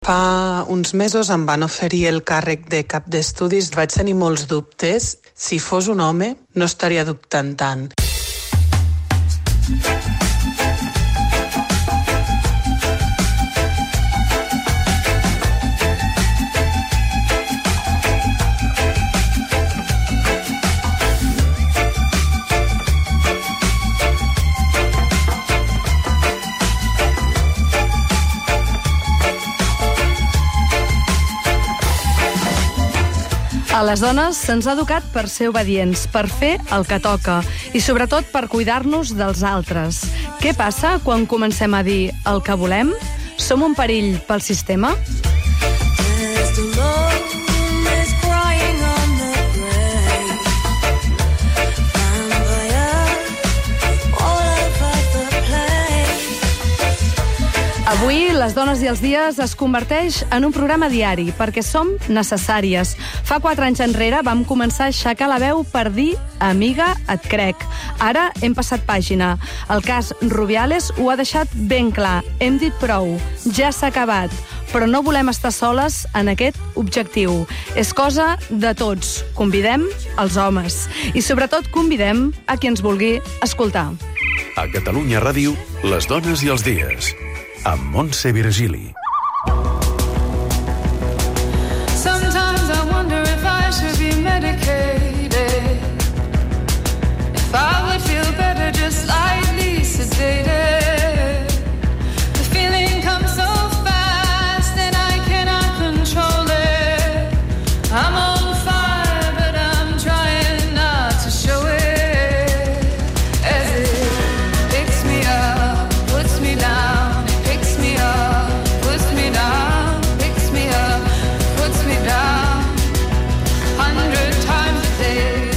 Fa uns mesos em van oferir el càrrec de cap d'estudis. Vaig tenir molts dubtes. Si fos un home, no estaria dubtant tant. A les dones se'ns ha educat per ser obedients, per fer el que toca i sobretot per cuidar-nos dels altres. Què passa quan comencem a dir el que volem? Som un perill pel sistema? Avui, Les dones i els dies es converteix en un programa diari perquè som necessàries. Fa 4 anys enrere vam començar a aixecar la veu per dir «Amiga, et crec». Ara hem passat pàgina. El cas Rubiales ho ha deixat ben clar. Hem dit prou. Ja s'ha acabat. Però no volem estar soles en aquest objectiu. És cosa de tots. Convidem els homes. I sobretot convidem a qui ens vulgui escoltar. A Catalunya Ràdio, Les dones i els dies. Amb Montse Virgili. Sometimes I wonder if I should be medicated, if I would feel better just lightly sedated. The feeling comes so fast and I cannot control it. I'm on fire but I'm trying not to show it. As it picks me up, puts me down.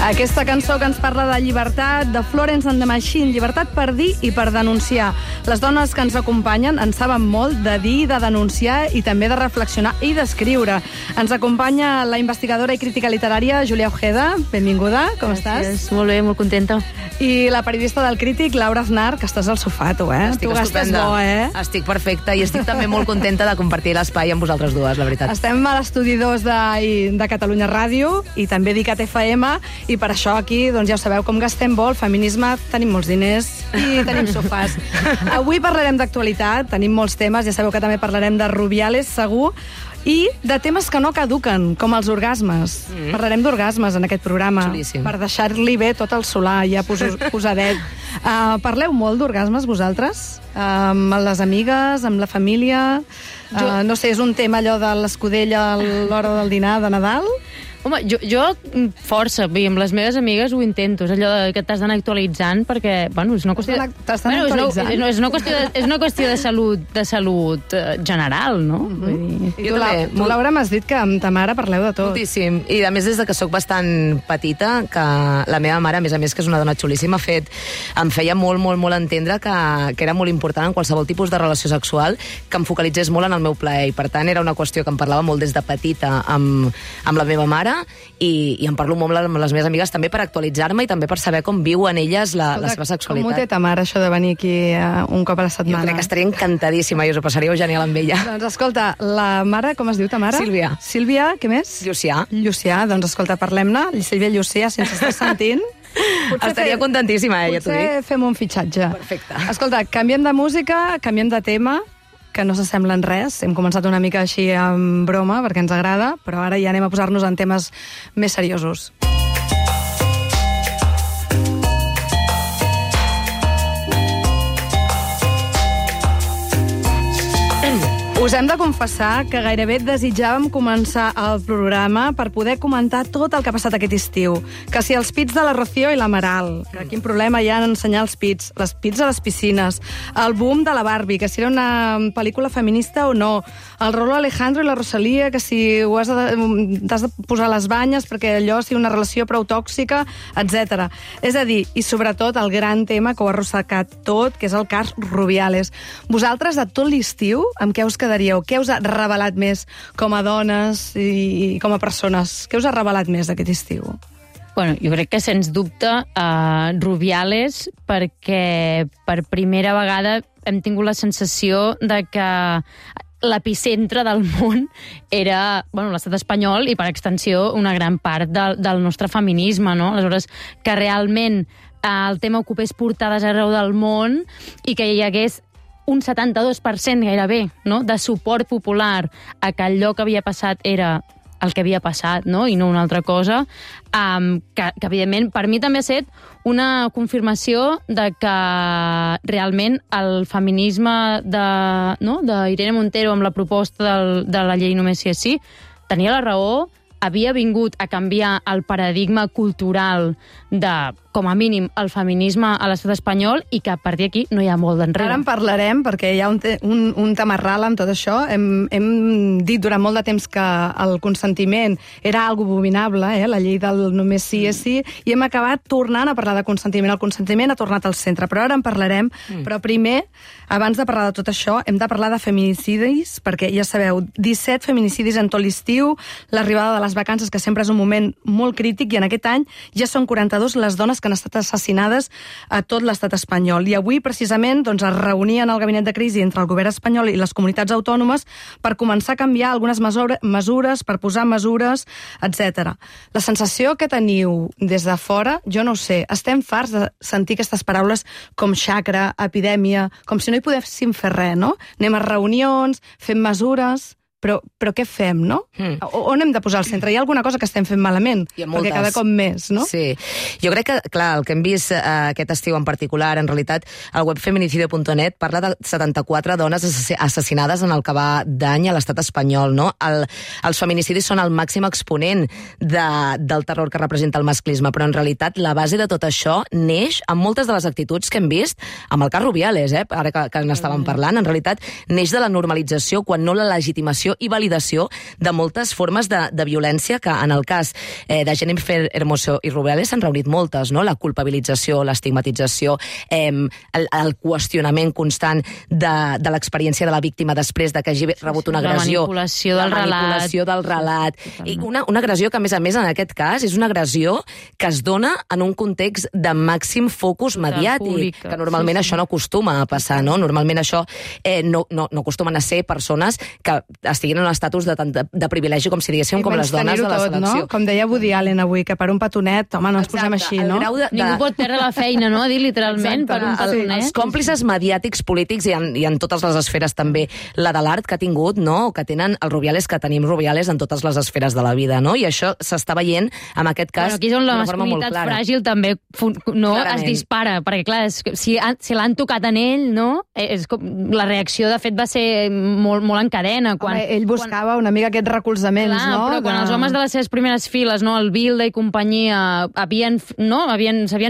Aquesta cançó que ens parla de llibertat, de Florence and the Machine, llibertat per dir i per denunciar. Les dones que ens acompanyen en saben molt de dir, de denunciar i també de reflexionar i d'escriure. Ens acompanya la investigadora i crítica literària Júlia Ojeda. Benvinguda, com estàs? Molt bé, molt contenta. I la periodista del Crític, Laura Aznar, que estàs al sofà, tu, eh? Estic estupenda. Bo, Estic perfecta i estic també molt contenta de compartir l'espai amb vosaltres dues, la veritat. Estem a l'estudi 2 de Catalunya Ràdio i també d'ICAT FM i per això aquí, doncs ja ho sabeu, com gastem vol, feminisme, tenim molts diners i tenim sofàs. Avui parlarem d'actualitat, tenim molts temes, ja sabeu que també parlarem de Rubiales, segur, i de temes que no caduquen, com els orgasmes. Parlarem d'orgasmes en aquest programa. Xulíssim. Per deixar-li bé tot el solar, ja posadet. Parleu molt d'orgasmes, vosaltres? Amb les amigues, amb la família? No sé, és un tema allò de l'escudella a l'hora del dinar de Nadal? Home, jo força, amb les meves amigues ho intento, és allò que t'has d'anar actualitzant perquè, bueno, és una qüestió... T'has d'anar actualitzant? És una qüestió de salut general, no? I tu, Laura, m'has dit que amb ta mare parleu de tot. Moltíssim, i a més des de que sóc bastant petita, que la meva mare, a més que és una dona xulíssima, em feia molt entendre que era molt important en qualsevol tipus de relació sexual que em focalitzés molt en el meu plaer, i per tant era una qüestió que em parlava molt des de petita amb la meva mare, i em parlo molt amb les meves amigues també per actualitzar-me i també per saber com viuen elles la seva sexualitat. Com ho té ta mare, això de venir aquí un cop a la setmana? Jo crec que estaria encantadíssima i us ho passaríeu genial amb ella. Doncs escolta, la mare, com es diu ta mare? Sílvia. Sílvia, què més? Llucià, doncs escolta, parlem-ne. Sílvia Llucià, si ens estàs sentint... Estaria contentíssima, ja t'ho dic. Potser fem un fitxatge. Perfecte. Escolta, canviem de música, canviem de tema, que no s'assemblen res. Hem començat una mica així amb broma, perquè ens agrada, però ara ja anem a posar-nos en temes més seriosos. Us hem de confessar que gairebé desitjàvem començar el programa per poder comentar tot el que ha passat aquest estiu. Que si els pits de la Rocío i l'Amaral, que quin problema hi ha en ensenyar els pits a les piscines, el boom de la Barbie, que si era una pel·lícula feminista o no, el Rolo Alejandro i la Rosalía, que si t'has de posar les banyes perquè allò sigui una relació prou tòxica, etc. És a dir, i sobretot el gran tema que ho ha arrossegat tot, que és el cas Rubiales. Vosaltres, de tot l'estiu, amb què us quedaríeu? Què us ha revelat més com a dones i com a persones? Què us ha revelat més d'aquest estiu? Bueno, jo crec que, sens dubte, Rubiales, perquè per primera vegada hem tingut la sensació de que l'epicentre del món era l'estat espanyol i, per extensió, una gran part del nostre feminisme, no? Aleshores, que realment el tema ocupés portades arreu del món i que hi hagués un 72% gairebé, no?, de suport popular a que allò que havia passat era el que havia passat, no?, i no una altra cosa, que evidentment, per mi també ha estat una confirmació de que realment el feminisme d'Irene Montero amb la proposta de la llei Només sí és sí tenia la raó, havia vingut a canviar el paradigma cultural de, com a mínim, el feminisme a l'estat espanyol i que a partir d'aquí no hi ha molt d'enrere. Ara en parlarem, perquè hi ha un tamarral amb tot això. Hem dit durant molt de temps que el consentiment era algo abominable, la llei del només sí és sí, i hem acabat tornant a parlar de consentiment. El consentiment ha tornat al centre, però ara en parlarem. Però primer, abans de parlar de tot això, hem de parlar de feminicidis, perquè ja sabeu, 17 feminicidis en tot l'estiu, l'arribada de les vacances, que sempre és un moment molt crític, i en aquest any ja són 42 les dones que han estat assassinades a tot l'estat espanyol. I avui, precisament, es reunien al gabinet de crisi entre el govern espanyol i les comunitats autònomes per començar a canviar algunes mesures, per posar mesures, etc. La sensació que teniu des de fora, jo no ho sé, estem farts de sentir aquestes paraules com xacra, epidèmia, com si no hi podéssim fer res, no? Anem a reunions, fem mesures... Però què fem, no? On hem de posar al centre? Hi ha alguna cosa que estem fent malament? Perquè cada cop més, no? Sí. Jo crec que, clar, el que hem vist aquest estiu en particular, en realitat, el web feminicidio.net parla de 74 dones assassinades en el que va d'any a l'estat espanyol, no? Els feminicidis són el màxim exponent del terror que representa el masclisme, però en realitat la base de tot això neix amb moltes de les actituds que hem vist amb el cas Rubiales, ara que n'estàvem parlant. En realitat, neix de la normalització, quan no la legitimació i validació de moltes formes de violència que en el cas de Jennifer Hermoso i Rubiales s'han reunit moltes, no? La culpabilització, l'estigmatització, el qüestionament constant de l'experiència de la víctima després de que hagi rebut una agressió. La manipulació del relat. I una agressió que, a més, en aquest cas, és una agressió que es dona en un context de màxim focus mediàtic, que normalment això no acostuma a passar, no? Normalment això no acostumen a ser persones que estiguin en un estatus de privilegi, com si diguéssim, com les dones de la selecció. No? Com deia Woody Allen avui, que per un petonet, home, no ens posem així, no? Ningú pot perdre la feina, no? Dir literalment, per un petonet. Els còmplices mediàtics polítics i en totes les esferes també, la de l'art que ha tingut, no? O que tenen els Rubiales, que tenim Rubiales en totes les esferes de la vida, no? I això s'està veient, en aquest cas, aquí és on la masculinitat fràgil també es dispara, perquè, clar, si l'han tocat en ell, no? La reacció, de fet, va ser molt en cadena. Ell buscava una mica aquests recolzaments, no? Però quan els homes de les seves primeres files, no, el Bilde i companyia, s'havien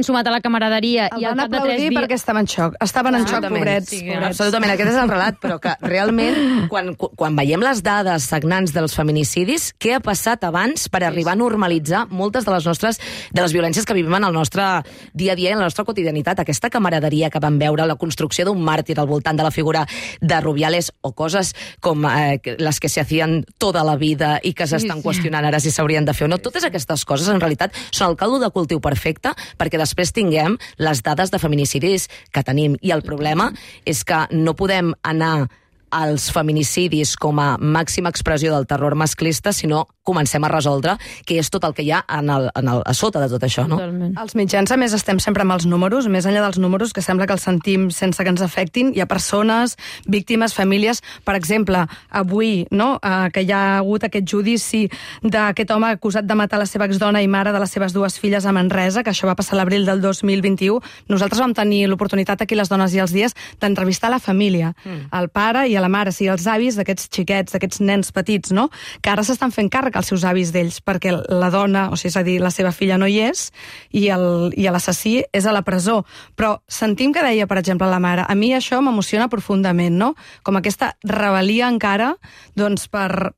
sumat a la camaraderia i al cap de 3 dies... El van aplaudir perquè estaven en xoc. Estaven en xoc, pobrets. Absolutament, aquest és el relat, però que realment, quan veiem les dades sagnants dels feminicidis, què ha passat abans per arribar a normalitzar moltes de les violències que vivim en el nostre dia a dia i en la nostra quotidianitat? Aquesta camaraderia que vam veure, la construcció d'un màrtir al voltant de la figura de Rubiales, o coses com les que se hacien tota la vida i que s'estan qüestionant ara si s'haurien de fer o no. Totes aquestes coses, en realitat, són el caldo de cultiu perfecte perquè després tinguem les dades de feminicidis que tenim. I el problema és que no podem anar als feminicidis com a màxima expressió del terror masclista, sinó comencem a resoldre què és tot el que hi ha a sota de tot això, no? Totalment. Els mitjans, a més, estem sempre amb els números, més enllà dels números, que sembla que els sentim sense que ens afectin. Hi ha persones, víctimes, famílies. Per exemple, avui, no?, que hi ha hagut aquest judici d'aquest home acusat de matar la seva exdona i mare de les seves 2 filles a Manresa, que això va passar a l'abril del 2021. Nosaltres vam tenir l'oportunitat aquí, les dones i els dies, d'entrevistar la família, el pare i la mare, sí, els avis d'aquests xiquets, d'aquests nens petits, no?, que ara s'estan fent càrrec als seus avis d'ells, perquè la dona, o sigui, és a dir, la seva filla no hi és, i l'assassí és a la presó. Però sentim que deia, per exemple, la mare, a mi això m'emociona profundament, no?, com aquesta rebel·lia encara, doncs, per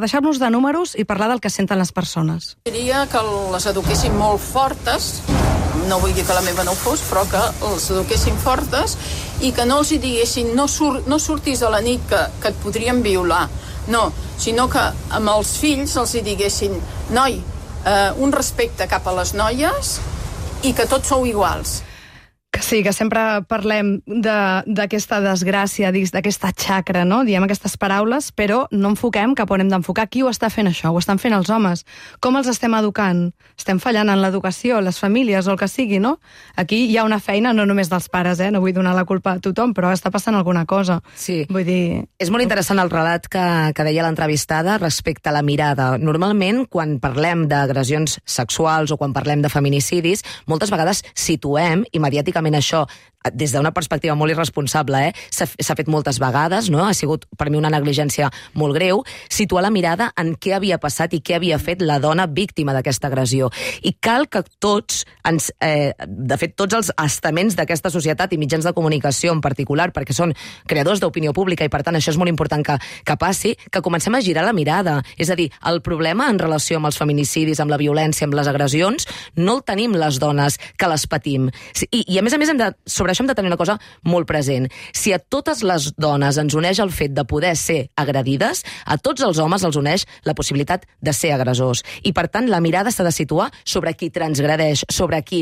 deixar-nos de números i parlar del que senten les persones. Diria que les eduquessin molt fortes, no vull dir que la meva no ho fos, però que els eduquessin fortes i que no els hi diguessin no surtis a la nit que et podrien violar, no, sinó que amb els fills els hi diguessin un respecte cap a les noies i que tots sou iguals. Que sí, que sempre parlem d'aquesta desgràcia, d'aquesta xacra, no? Diem aquestes paraules, però no enfoquem cap on hem d'enfocar. Qui ho està fent això? Ho estan fent els homes. Com els estem educant? Estem fallant en l'educació, les famílies o el que sigui, no? Aquí hi ha una feina, no només dels pares, no vull donar la culpa a tothom, però està passant alguna cosa. Sí. Vull dir... És molt interessant el relat que deia l'entrevistada respecte a la mirada. Normalment, quan parlem d'agressions sexuals o quan parlem de feminicidis, moltes vegades situem immediàticament això des d'una perspectiva molt irresponsable, s'ha fet moltes vegades, no? Ha sigut per mi una negligència molt greu, situar la mirada en què havia passat i què havia fet la dona víctima d'aquesta agressió. I cal que tots, de fet, tots els estaments d'aquesta societat i mitjans de comunicació en particular, perquè són creadors d'opinió pública i per tant això és molt important que passi, que comencem a girar la mirada. És a dir, el problema en relació amb els feminicidis, amb la violència, amb les agressions, no el tenim les dones que les patim. I a més, sobre això hem de tenir una cosa molt present. Si a totes les dones ens uneix el fet de poder ser agredides, a tots els homes els uneix la possibilitat de ser agressors. I, per tant, la mirada s'ha de situar sobre qui transgredeix, sobre qui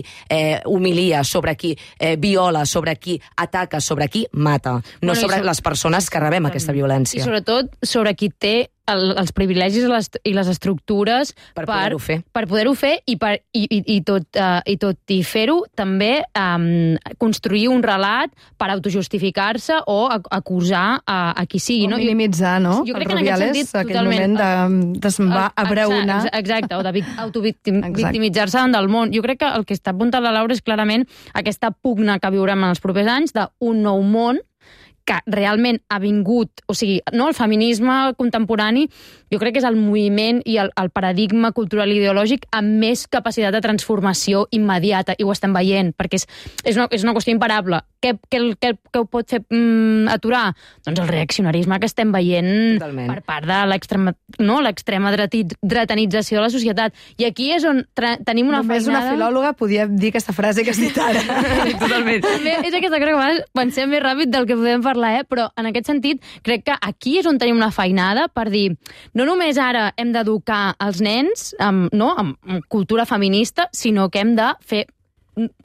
humilia, sobre qui viola, sobre qui ataca, sobre qui mata, no sobre les persones que rebem aquesta violència. I, sobretot, sobre qui té els privilegis i les estructures per poder-ho fer i tot i fer-ho també construir un relat per autojustificar-se o acusar a qui sigui. O minimitzar, no? Jo crec que en aquest sentit, aquell moment de se'n va a braonar. Exacte, o d'autovictimitzar-se davant del món. Jo crec que el que està apuntant la Laura és clarament aquesta pugna que viurem en els propers anys d'un nou món que realment ha vingut, o sigui, no, el feminisme contemporani jo crec que és el moviment i el paradigma cultural i ideològic amb més capacitat de transformació immediata, i ho estem veient, perquè és una qüestió imparable. Què ho pot fer aturar? Doncs el reaccionarisme que estem veient per part de l'extrema dretanització de la societat. I aquí és on tenim una feinada... Només una filòloga podia dir aquesta frase que has dit ara. Totalment. També és aquesta cosa que pensem més ràpid del que podem parlar, però en aquest sentit crec que aquí és on tenim una feinada per dir, no només ara hem d'educar els nens amb cultura feminista, sinó que hem de fer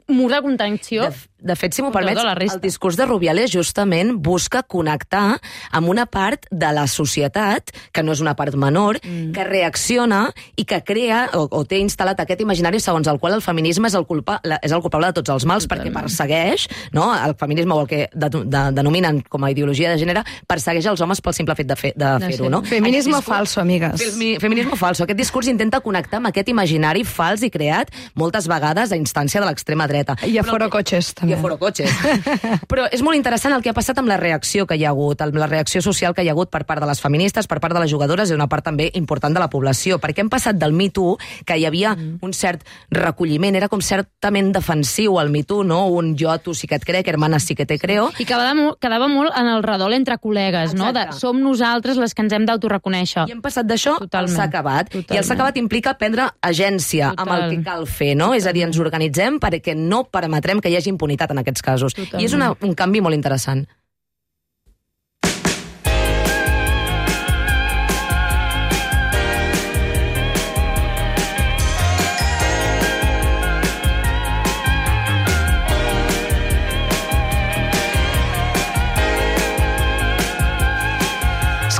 mur de contenció. De fet, si m'ho permets, el discurs de Rubiales justament busca connectar amb una part de la societat, que no és una part menor, que reacciona i que crea o té instal·lat aquest imaginari segons el qual el feminisme és el culpable de tots els mals, perquè persegueix, no? El feminisme, o el que denominen com a ideologia de gènere, persegueix els homes pel simple fet de fer-ho, no? Feminisme falso, amigues. Feminisme falso. Aquest discurs intenta connectar amb aquest imaginari fals i creat moltes vegades a instància de l'extrema dreta. I a fora cotxes, també. I a fora cotxes. Però és molt interessant el que ha passat amb la reacció que hi ha hagut, amb la reacció social que hi ha hagut per part de les feministes, per part de les jugadores i una part també important de la població, perquè hem passat del Me Too, que hi havia un cert recolliment, era com certament defensiu el Me Too, no? Un jo a tu sí que et crec, hermana sí que te creo. I quedava molt en el redol entre col·legues, no? Som nosaltres les que ens hem d'autoreconèixer. I hem passat d'això al s'ha acabat. I el s'ha acabat implica prendre agència amb el que cal fer, no? És a dir, ens organitzem perquè no permetrem que hi hagi impunitat en aquests casos. I és un canvi molt interessant.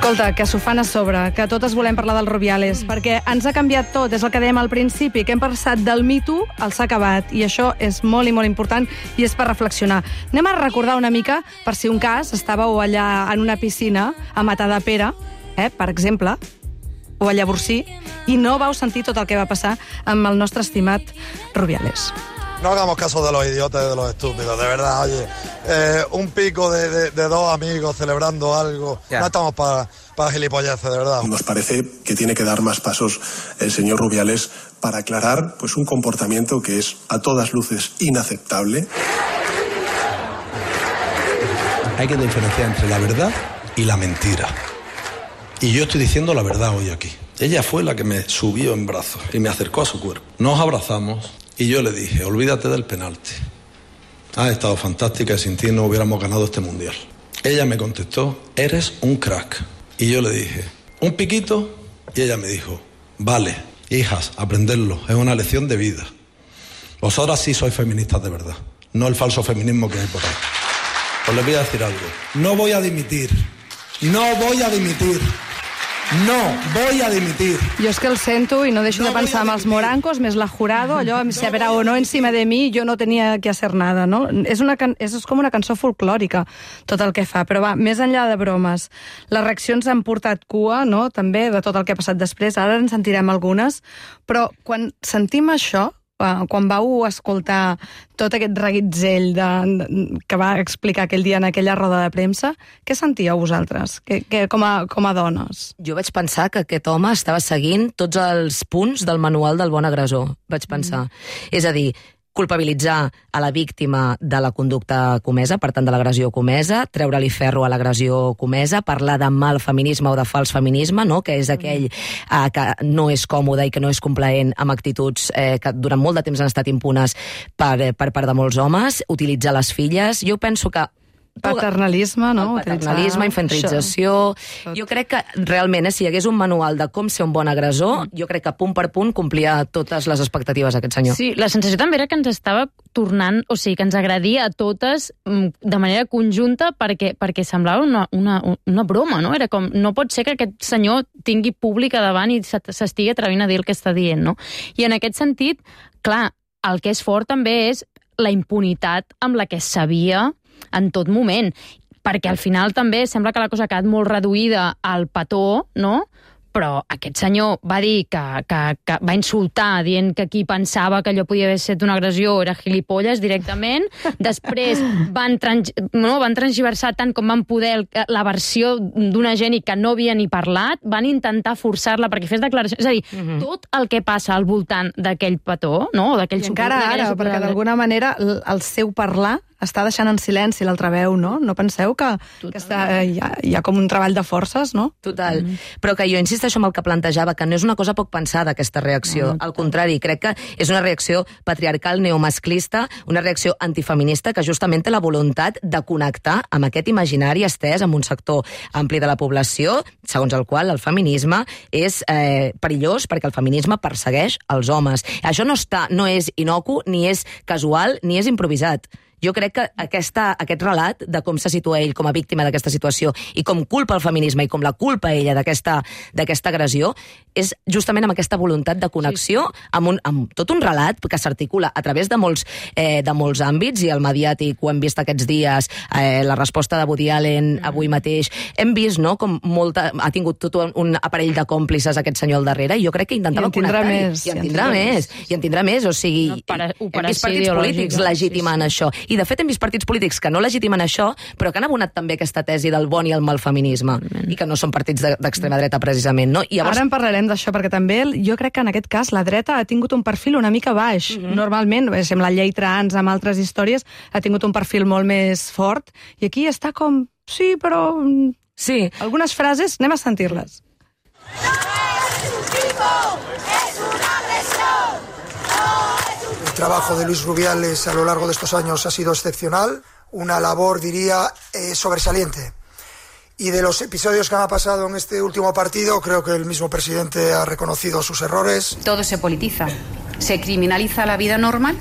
Escolta, que s'ho fan a sobre, que totes volem parlar del Rubiales, perquè ens ha canviat tot, és el que dèiem al principi, que hem passat del Me Too al s'ha acabat, i això és molt i molt important i és per reflexionar. Anem a recordar una mica, per si un cas estàveu allà en una piscina a Matadepera, per exemple, o a Llavorsí, i no vau sentir tot el que va passar amb el nostre estimat Rubiales. No hagamos caso de los idiotas y de los estúpidos, de verdad, oye. Un pico de dos amigos celebrando algo. Yeah. No estamos para gilipolleces, de verdad. Nos parece que tiene que dar más pasos el señor Rubiales para aclarar pues, un comportamiento que es a todas luces inaceptable. Hay que diferenciar entre la verdad y la mentira. Y yo estoy diciendo la verdad hoy aquí. Ella fue la que me subió en brazos y me acercó a su cuerpo. Nos abrazamos. Y yo le dije, olvídate del penalti. Has estado fantástica y sin ti no hubiéramos ganado este mundial. Ella me contestó, eres un crack. Y yo le dije, ¿un piquito? Y ella me dijo, vale, hijas, aprenderlo, es una lección de vida. Vosotras sí sois feministas de verdad. no el falso feminismo que hay por ahí. Pues les voy a decir algo. No voy a dimitir. No voy a dimitir. No voy a dimitir. Jo és que el sento i no deixo de pensar en els morancos, més la Jurado, allò, si habrá o no encima de mi, jo no tenia que hacer nada, no? És com una cançó folclòrica, tot el que fa. Però va, més enllà de bromes, les reaccions han portat cua, no?, també, de tot el que ha passat després. Ara en sentirem algunes, però quan sentim això, quan vau escoltar tot aquest reguitzell que va explicar aquell dia en aquella roda de premsa, què sentíeu vosaltres, com a dones? Jo vaig pensar que aquest home estava seguint tots els punts del manual del bon agressor, vaig pensar. És a dir, culpabilitzar a la víctima de la conducta comesa, per tant de l'agressió comesa, treure-li ferro a l'agressió comesa, parlar de mal feminisme o de fals feminisme, no?, que és aquell que no és còmode i que no és complaent amb actituds que durant molt de temps han estat impunes per part de molts homes, utilitzar les filles. Jo penso que paternalisme, no? Paternalisme, infantilització. Jo crec que realment, si hi hagués un manual de com ser un bon agressor, jo crec que punt per punt complia totes les expectatives d'aquest senyor. Sí, la sensació també era que ens estava tornant, o sigui, que ens agredia a totes de manera conjunta perquè semblava una broma, no? Era com, no pot ser que aquest senyor tingui públic a davant i s'estigui atrevint a dir el que està dient, no? I en aquest sentit, clar, el que és fort també és la impunitat amb la que es sabia en tot moment, perquè al final també sembla que la cosa ha quedat molt reduïda al petó, no? Però aquest senyor va dir que va insultar dient que qui pensava que allò podia haver estat una agressió era gilipolles directament. Després van transgiversar tant com van poder la versió d'una gent que no havia ni parlat, van intentar forçar-la perquè fes declaracions. És a dir, tot el que passa al voltant d'aquell petó, no? O d'aquell I encara ara, perquè d'alguna manera el seu parlar està deixant en silenci l'altra veu, no? No penseu que hi ha com un treball de forces, no? Total. Però que jo insisteixo amb el que plantejava, que no és una cosa poc pensada, aquesta reacció. Al contrari, crec que és una reacció patriarcal, neomasclista, una reacció antifeminista que justament té la voluntat de connectar amb aquest imaginari estès amb un sector ampli de la població, segons el qual el feminisme és perillós perquè el feminisme persegueix els homes. Això no és inocu, ni és casual, ni és improvisat. Jo crec que aquest relat de com se situa ell com a víctima d'aquesta situació i com culpa el feminisme i com la culpa ella d'aquesta agressió és justament amb aquesta voluntat de connexió amb tot un relat que s'articula a través de molts àmbits, i el mediàtic ho hem vist aquests dies, la resposta de Woody Allen avui mateix. Hem vist, no?, com ha tingut tot un aparell de còmplices aquest senyor al darrere, i jo crec que intentava connectar-hi. I en tindrà més. O sigui, hem vist partits polítics legitimant això. I, de fet, hem vist partits polítics que no legitimen això, però que han abonat també aquesta tesi del bon i el mal feminisme, i que no són partits d'extrema dreta, precisament, no? I llavors... Ara en parlarem d'això, perquè també jo crec que en aquest cas la dreta ha tingut un perfil una mica baix. Normalment, amb la llei trans, amb altres històries, ha tingut un perfil molt més fort, i aquí està com... Sí, però... Sí. Algunes frases, anem a sentir-les. El trabajo de Luis Rubiales a lo largo de estos años ha sido excepcional, una labor, diría, sobresaliente. Y de los episodios que han pasado en este último partido, creo que el mismo presidente ha reconocido sus errores. Todo se politiza, se criminaliza la vida normal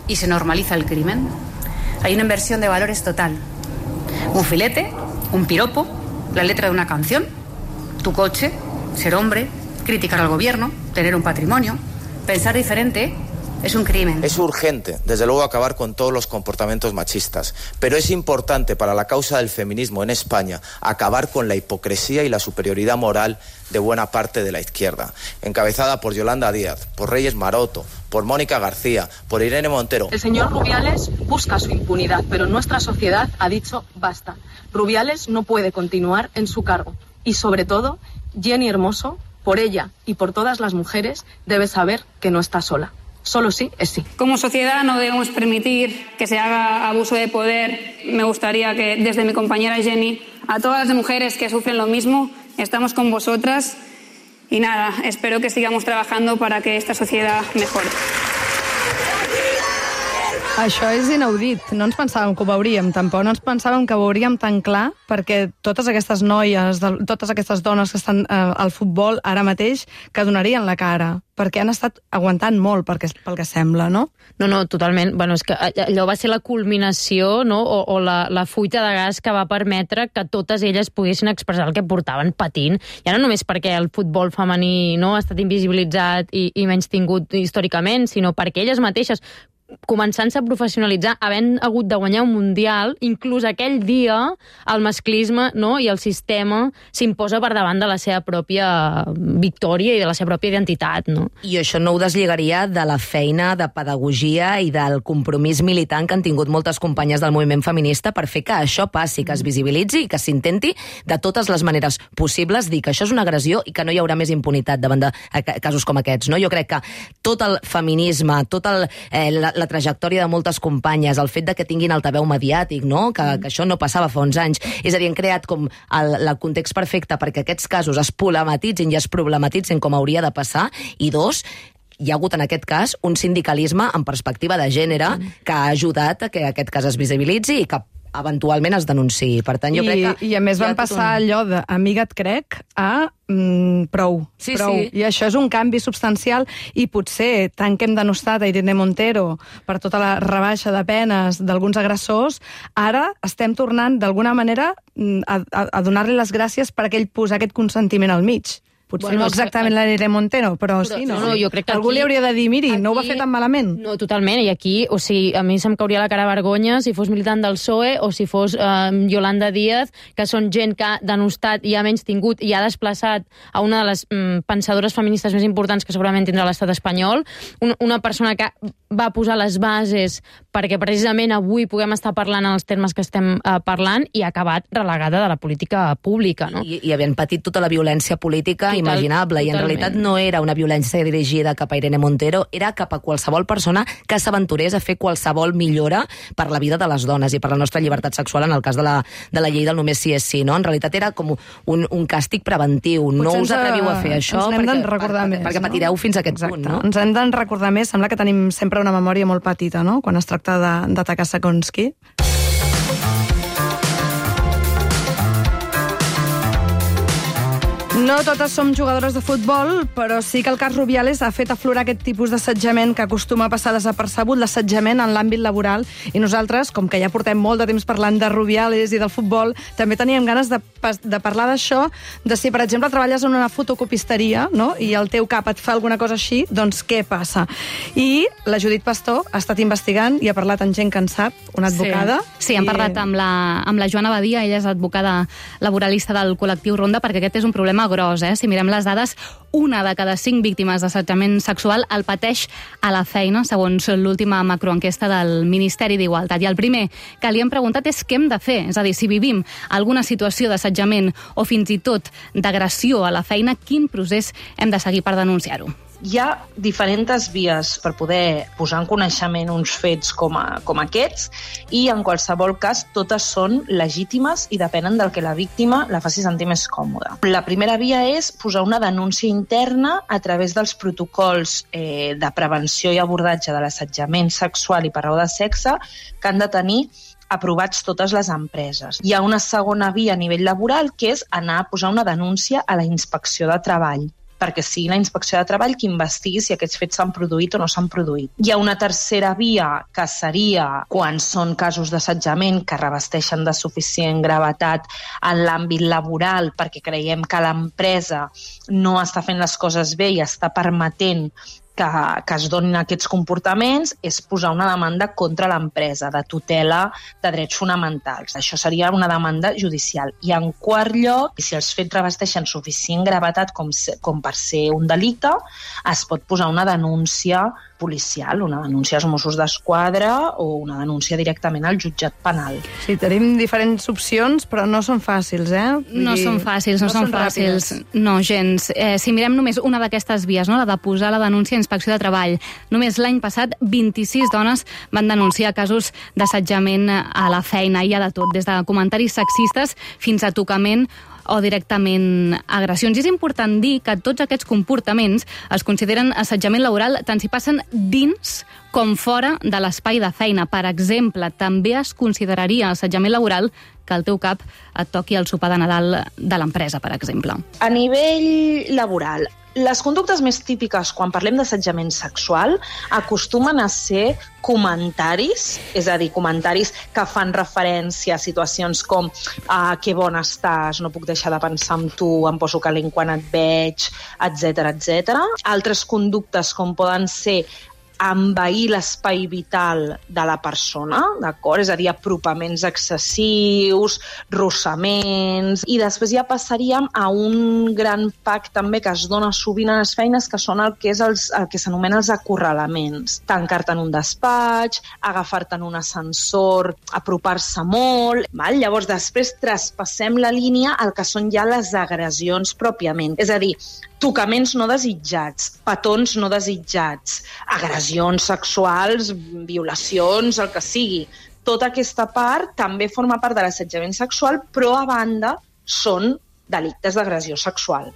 y se normaliza el crimen. Hay una inversión de valores total. Un filete, un piropo, la letra de una canción, tu coche, ser hombre, criticar al gobierno, tener un patrimonio, pensar diferente. Es un crimen. Es urgente, desde luego, acabar con todos los comportamientos machistas, pero es importante para la causa del feminismo en España acabar con la hipocresía y la superioridad moral de buena parte de la izquierda, encabezada por Yolanda Díaz, por Reyes Maroto, por Mónica García, por Irene Montero. El señor Rubiales busca su impunidad, pero nuestra sociedad ha dicho basta. Rubiales no puede continuar en su cargo. Y sobre todo, Jenny Hermoso, por ella y por todas las mujeres, debe saber que no está sola. Solo sí es sí. Como sociedad no debemos permitir que se haga abuso de poder. Me gustaría que desde mi compañera Jenny, a todas las mujeres que sufren lo mismo, estamos con vosotras. Y nada, espero que sigamos trabajando para que esta sociedad mejore. Això és inaudit. No ens pensàvem que ho veuríem, tampoc. No ens pensàvem que ho veuríem tan clar, perquè totes aquestes noies, totes aquestes dones que estan al futbol ara mateix, que donarien la cara, perquè han estat aguantant molt, pel que sembla, no? No, totalment. Bueno, és que allò va ser la culminació, no? o la fuita de gas que va permetre que totes elles poguessin expressar el que portaven patint. Ja no només perquè el futbol femení no ha estat invisibilitzat i menys tingut històricament, sinó perquè elles mateixes, començant-se a professionalitzar, havent hagut de guanyar un mundial, inclús aquell dia el masclisme, no? I el sistema s'imposa per davant de la seva pròpia victòria i de la seva pròpia identitat. No? I això no ho deslligaria de la feina de pedagogia i del compromís militant que han tingut moltes companyes del moviment feminista per fer que això passi, que es visibilitzi i que s'intenti de totes les maneres possibles dir que això és una agressió i que no hi haurà més impunitat davant de casos com aquests. No? Jo crec que tot el feminisme, tota la trajectòria de moltes companyes, el fet de que tinguin altaveu mediàtic, no? Que això no passava fa uns anys. És a dir, han creat com el context perfecte perquè aquests casos es problematitzin i es problematitzin com hauria de passar, i dos, hi ha hagut en aquest cas un sindicalisme en perspectiva de gènere que ha ajudat a que aquest cas es visibilitzi i que eventualment es denunciï. Per tant, jo crec que... I a més van passar allò de amiga et crec a prou. Sí. I això és un canvi substancial i potser, tant que hem denostat a Irene Montero per tota la rebaixa de penes d'alguns agressors, ara estem tornant d'alguna manera a donar-li les gràcies per aquell posar aquest consentiment al mig. Potser no exactament la Irene Montero, però sí, no? Jo crec que algú li hauria de dir, miri, no ho va fer tan malament. No, totalment, i aquí, o sigui, a mi se'm cauria la cara vergonya si fos militant del PSOE o si fos Yolanda Díaz, que són gent que ha denostat i ha menys tingut i ha desplaçat a una de les pensadores feministes més importants que segurament tindrà l'estat espanyol, una persona que va posar les bases perquè precisament avui puguem estar parlant en els termes que estem parlant i ha acabat relegada de la política pública, no? I havent patit tota la violència política imaginable, i en realitat no era una violència dirigida cap a Irene Montero, era cap a qualsevol persona que s'aventurés a fer qualsevol millora per la vida de les dones i per la nostra llibertat sexual en el cas de la llei del només sí és sí, no? En realitat era com un càstig preventiu. Potser no us atreviu a fer això perquè patireu fins a aquest punt, no? Ens hem de recordar més, sembla que tenim sempre una memòria molt petita, no?, quan es tracta d'atacar segons qui. No totes som jugadores de futbol, però sí que el cas Rubiales ha fet aflorar aquest tipus d'assetjament que acostuma a passar desapercebut, l'assetjament en l'àmbit laboral, i nosaltres, com que ja portem molt de temps parlant de Rubiales i del futbol, també teníem ganes de parlar d'això, de si, per exemple, treballes en una fotocopisteria, no?, i el teu cap et fa alguna cosa així, doncs què passa? I la Judit Pastor ha estat investigant i ha parlat amb gent que en sap, una advocada. Sí, hem parlat amb la Joana Badia, ella és advocada laboralista del col·lectiu Ronda, perquè aquest és un problema gros, Si mirem les dades, 1 de cada 5 víctimes d'assetjament sexual el pateix a la feina, segons l'última macroenquesta del Ministeri d'Igualtat. I el primer que li hem preguntat és què hem de fer. És a dir, si vivim alguna situació d'assetjament o fins i tot d'agressió a la feina, quin procés hem de seguir per denunciar-ho? Hi ha diferents vies per poder posar en coneixement uns fets com aquests i, en qualsevol cas, totes són legítimes i depenen del que la víctima la faci sentir més còmoda. La primera via és posar una denúncia interna a través dels protocols de prevenció i abordatge de l'assetjament sexual i per raó de sexe que han de tenir aprovats totes les empreses. Hi ha una segona via a nivell laboral que és anar a posar una denúncia a la Inspecció de Treball, perquè sigui la Inspecció de Treball qui investigui si aquests fets s'han produït o no s'han produït. Hi ha una tercera via, que seria quan són casos d'assetjament que revesteixen de suficient gravetat en l'àmbit laboral perquè creiem que l'empresa no està fent les coses bé i està permetent que es donin aquests comportaments, és posar una demanda contra l'empresa de tutela de drets fonamentals. Això seria una demanda judicial. I en quart lloc, si els fets revesteixen suficient gravetat com per ser un delicte, es pot posar una denúncia policial, una denúncia als Mossos d'Esquadra o una denúncia directament al jutjat penal. Sí, tenim diferents opcions, però no són fàcils, No són fàcils. No, gens. Si mirem només una d'aquestes vies, no, la de posar la denúncia a Inspecció de Treball, només l'any passat 26 dones van denunciar casos d'assetjament a la feina. Hi ha de tot, des de comentaris sexistes fins a tocament o directament agressions. I és important dir que tots aquests comportaments es consideren assetjament laboral tant si passen dins com fora de l'espai de feina. Per exemple, també es consideraria assetjament laboral que al teu cap et toqui el sopar de Nadal de l'empresa, per exemple. A nivell laboral, les conductes més típiques quan parlem d'assetjament sexual acostumen a ser comentaris, és a dir, comentaris que fan referència a situacions com que bon estàs, no puc deixar de pensar en tu, em poso calent quan et veig, etc etc. Altres conductes com poden ser envair l'espai vital de la persona, d'acord? És a dir, apropaments excessius, rossaments, i després ja passaríem a un gran pack també que es dona sovint a les feines, que són el que s'anomena els acorralaments. Tancar-te en un despatx, agafar-te en un ascensor, apropar-se molt, val? Llavors després traspassem la línia al que són ja les agressions pròpiament. És a dir, tocaments no desitjats, petons no desitjats, agressions sexuals, violacions, el que sigui. Tota aquesta part també forma part de l'assetjament sexual, però a banda són delictes d'agressió sexual.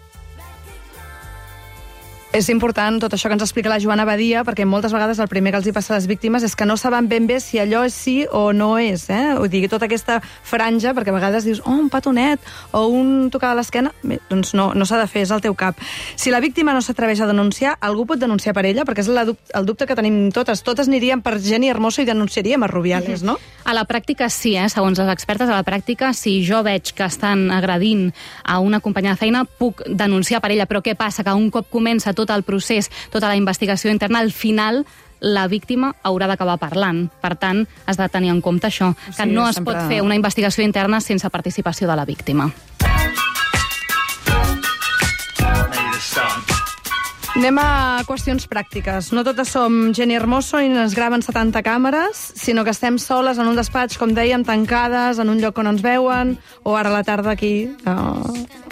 És important tot això que ens explica la Joana Badia, perquè moltes vegades el primer que els hi passa a les víctimes és que no saben ben bé si allò és sí o no és. Vull dir, tota aquesta franja, perquè a vegades dius, un petonet o un tocar a l'esquena, doncs no s'ha de fer, és al teu cap. Si la víctima no s'atreveix a denunciar, algú pot denunciar per ella? Perquè és el dubte que tenim totes. Totes aniríem per Jenny Hermoso i denunciaríem a Rubiales, no? A la pràctica sí, segons les expertes, a la pràctica, si jo veig que estan agredint a una companya de feina, puc denunciar per ella, però què passa? Que un cop comença tot el procés, tota la investigació interna, al final la víctima haurà d'acabar parlant. Per tant, has de tenir en compte això, que no es pot fer una investigació interna sense participació de la víctima. Anem a qüestions pràctiques. No totes som Jenny Hermoso i ens graven 70 càmeres, sinó que estem soles en un despatx, com dèiem, tancades, en un lloc on ens veuen, o ara a la tarda aquí,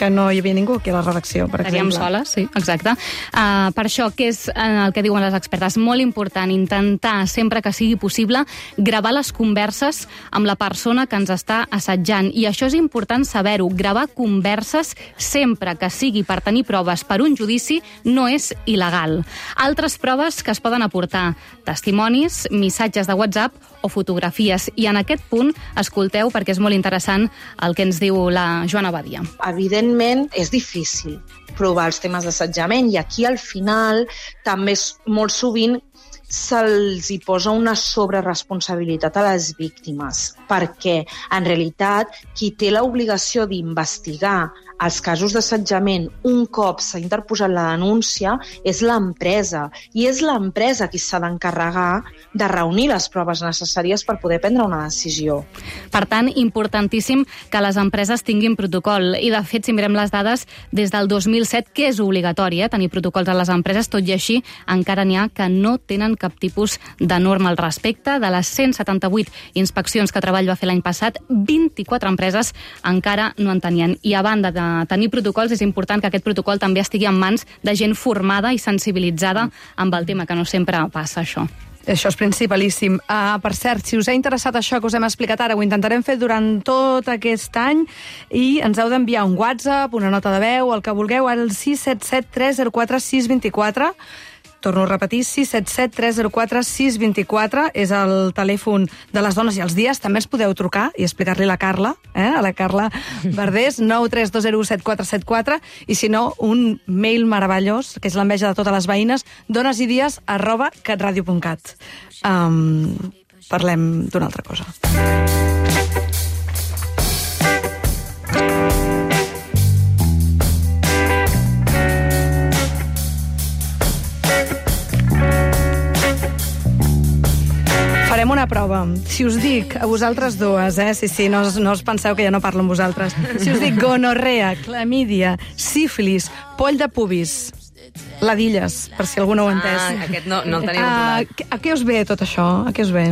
que no hi havia ningú aquí a la redacció, per exemple. Estaríem soles, sí, exacte. Per això, què és el que diuen les expertes? Molt important intentar, sempre que sigui possible, gravar les converses amb la persona que ens està assetjant. I això és important saber-ho. Gravar converses, sempre que sigui per tenir proves per un judici, no és il·legal. Altres proves que es poden aportar: testimonis, missatges de WhatsApp o fotografies. I en aquest punt, escolteu, perquè és molt interessant el que ens diu la Joana Badia. Evidentment, és difícil provar els temes d'assetjament i aquí al final també molt sovint se'ls hi posa una sobreresponsabilitat a les víctimes, perquè en realitat qui té l'obligació d'investigar els casos d'assetjament un cop s'ha interposat la denúncia és l'empresa, i és l'empresa qui s'ha d'encarregar de reunir les proves necessàries per poder prendre una decisió. Per tant, importantíssim que les empreses tinguin protocol, i de fet, si mirem les dades, des del 2007, que és obligatori tenir protocols a les empreses, tot i així encara n'hi ha que no tenen cap tipus de norma al respecte. De les 178 inspeccions que Treball va fer l'any passat, 24 empreses encara no en tenien. I a banda de tenir protocols, és important que aquest protocol també estigui en mans de gent formada i sensibilitzada amb el tema, que no sempre passa això. Això és principalíssim. Per cert, si us ha interessat això que us hem explicat ara, ho intentarem fer durant tot aquest any i ens heu d'enviar un WhatsApp, una nota de veu, el que vulgueu, al 677 304 624. Torno a repetir, 677 304 624 és el telèfon de les dones i els dies. També ens podeu trucar i explicar-li a la Carla, a la Carla Verdés, 932017474, i si no, un mail meravellós, que és l'enveja de totes les veïnes, donesidies@catradio.cat. Parlem d'una altra cosa. Farem una prova. Si us dic, a vosaltres dues, sí, no us penseu que ja no parlo amb vosaltres. Si us dic gonorrea, clamídia, sífilis, poll de pubis, ladilles, per si algú no ho ha entès. Aquest no el tenim controlat. A què us ve tot això? A què us ve?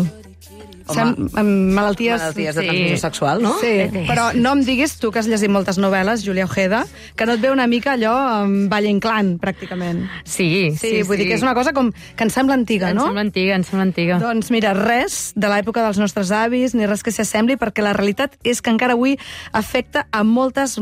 Malalties de transmissió sexual, no? Sí, però no em diguis, tu que has llegit moltes novel·les, Júlia Ojeda, que no et ve una mica allò amb Valle Inclán, pràcticament. Sí. Vull dir que és una cosa com que ens sembla antiga, no? Ens sembla antiga. Doncs mira, res de l'època dels nostres avis, ni res que s'hi assembli, perquè la realitat és que encara avui afecta a moltes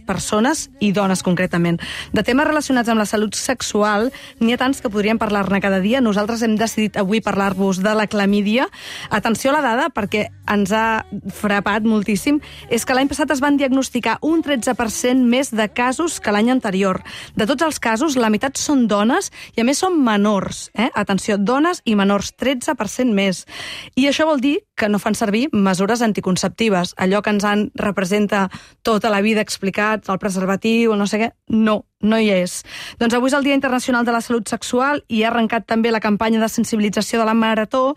persones, i dones concretament. De temes relacionats amb la salut sexual, n'hi ha tants que podríem parlar-ne cada dia. Nosaltres hem decidit avui parlar-vos de la clamídia. Atenció a la dada, perquè ens ha frapat moltíssim, és que l'any passat es van diagnosticar un 13% més de casos que l'any anterior. De tots els casos, la meitat són dones i a més són menors. Atenció, dones i menors, 13% més. I això vol dir que no fan servir mesures anticonceptives. Allò que ens han representa tota la vida explicat, el preservatiu, no sé què, no hi és. Doncs avui és el Dia Internacional de la Salut Sexual i ha arrencat també la campanya de sensibilització de la Marató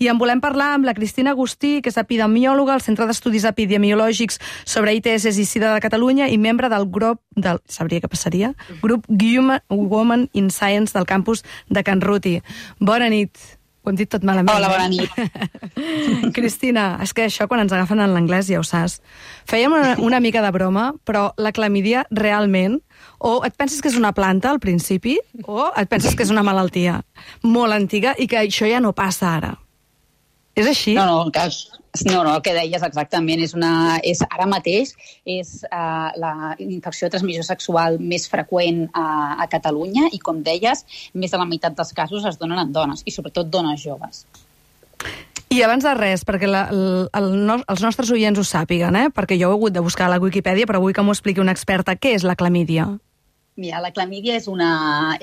i en volem parlar amb la Cristina Agustí, que és epidemiòloga al Centre d'Estudis Epidemiològics sobre ITS i SIDA de Catalunya i membre del grup Grup Women in Science del campus de Can Ruti. Bona nit. Ho hem dit tot malament. Hola, bona nit. Cristina, és que això quan ens agafen en l'anglès ja ho saps. Fèiem una mica de broma, però la clamídia realment, o et penses que és una planta al principi, o et penses que és una malaltia molt antiga i que això ja no passa ara. És així? No, el que deies exactament és ara mateix és la infecció de transmissió sexual més freqüent a Catalunya i, com deies, més de la meitat dels casos es donen en dones, i sobretot dones joves. I abans de res, perquè els nostres oients ho sàpiguen, perquè jo ho he hagut de buscar a la Wikipedia, però vull que m'ho expliqui una experta. Què és la clamídia? Mira, la clamídia és una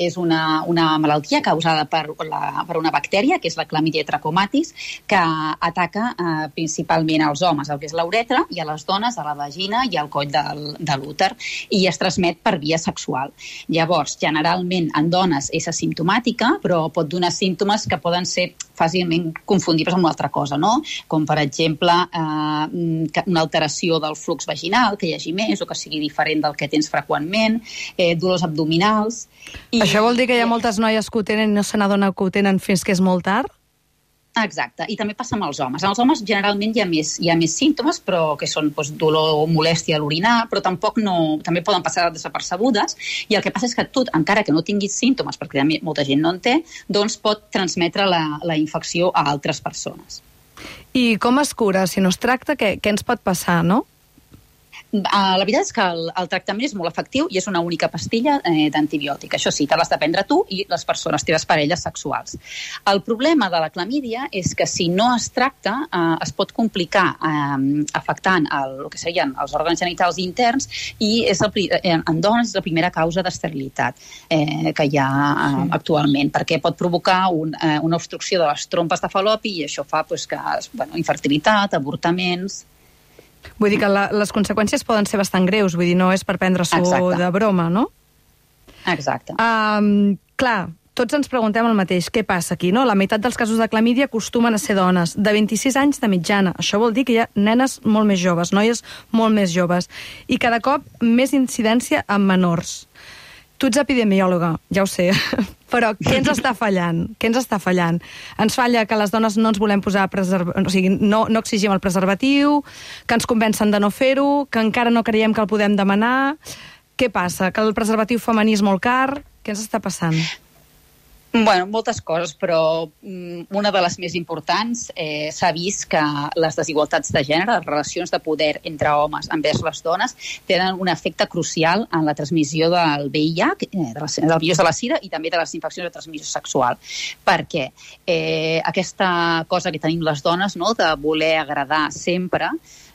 malaltia causada per una bactèria, que és la Chlamydia trachomatis, que ataca principalment als homes, el que és la uretra, i a les dones, a la vagina i al coll de l'úter, i es transmet per via sexual. Llavors, generalment en dones és asimptomàtica, però pot donar símptomes que poden ser fàcilment confundibles amb una altra cosa, no? Com, per exemple, una alteració del flux vaginal, que hi hagi més o que sigui diferent del que tens freqüentment, dolors abdominals... Això vol dir que hi ha moltes noies que ho tenen i no se n'adonen que ho tenen fins que és molt tard? Exacte, i també passa amb els homes. En els homes generalment hi ha més símptomes, però que són dolor o molèstia a l'orinar, però també poden passar desapercebudes, i el que passa és que tu, encara que no tinguis símptomes, perquè molta gent no en té, doncs pot transmetre la infecció a altres persones. I com es cura? Si no es tracta, què ens pot passar, no? La veritat és que el tractament és molt efectiu i és una única pastilla d'antibiòtic. Això sí, te l'has de prendre tu i les persones, teves parelles sexuals. El problema de la clamídia és que si no es tracta es pot complicar afectant el que serien els òrgans genitals interns i en dones és la primera causa d'esterilitat que hi ha actualment, perquè pot provocar una obstrucció de les trompes de Fal·lopi i això fa infertilitat, avortaments... Vull dir que les conseqüències poden ser bastant greus, vull dir, no és per prendre-s'ho de broma, no? Exacte. Clar, tots ens preguntem el mateix, què passa aquí, no? La meitat dels casos de clamídia acostumen a ser dones, de 26 anys de mitjana. Això vol dir que hi ha nenes molt més joves, noies molt més joves, i cada cop més incidència en menors. Tu ets epidemiòloga, ja ho sé, però què ens està fallant? Ens falla que les dones no ens volem posar no exigim el preservatiu, que ens convencen de no fer-ho, que encara no creiem que el podem demanar. Què passa? Que el preservatiu femení és molt car? Què ens està passant? Bueno, moltes coses, però una de les més importants s'ha vist que les desigualtats de gènere, les relacions de poder entre homes envers les dones, tenen un efecte crucial en la transmissió del VIH, del virus de la SIDA i també de les infeccions de transmissió sexual. Perquè aquesta cosa que tenim les dones, no, de voler agradar sempre,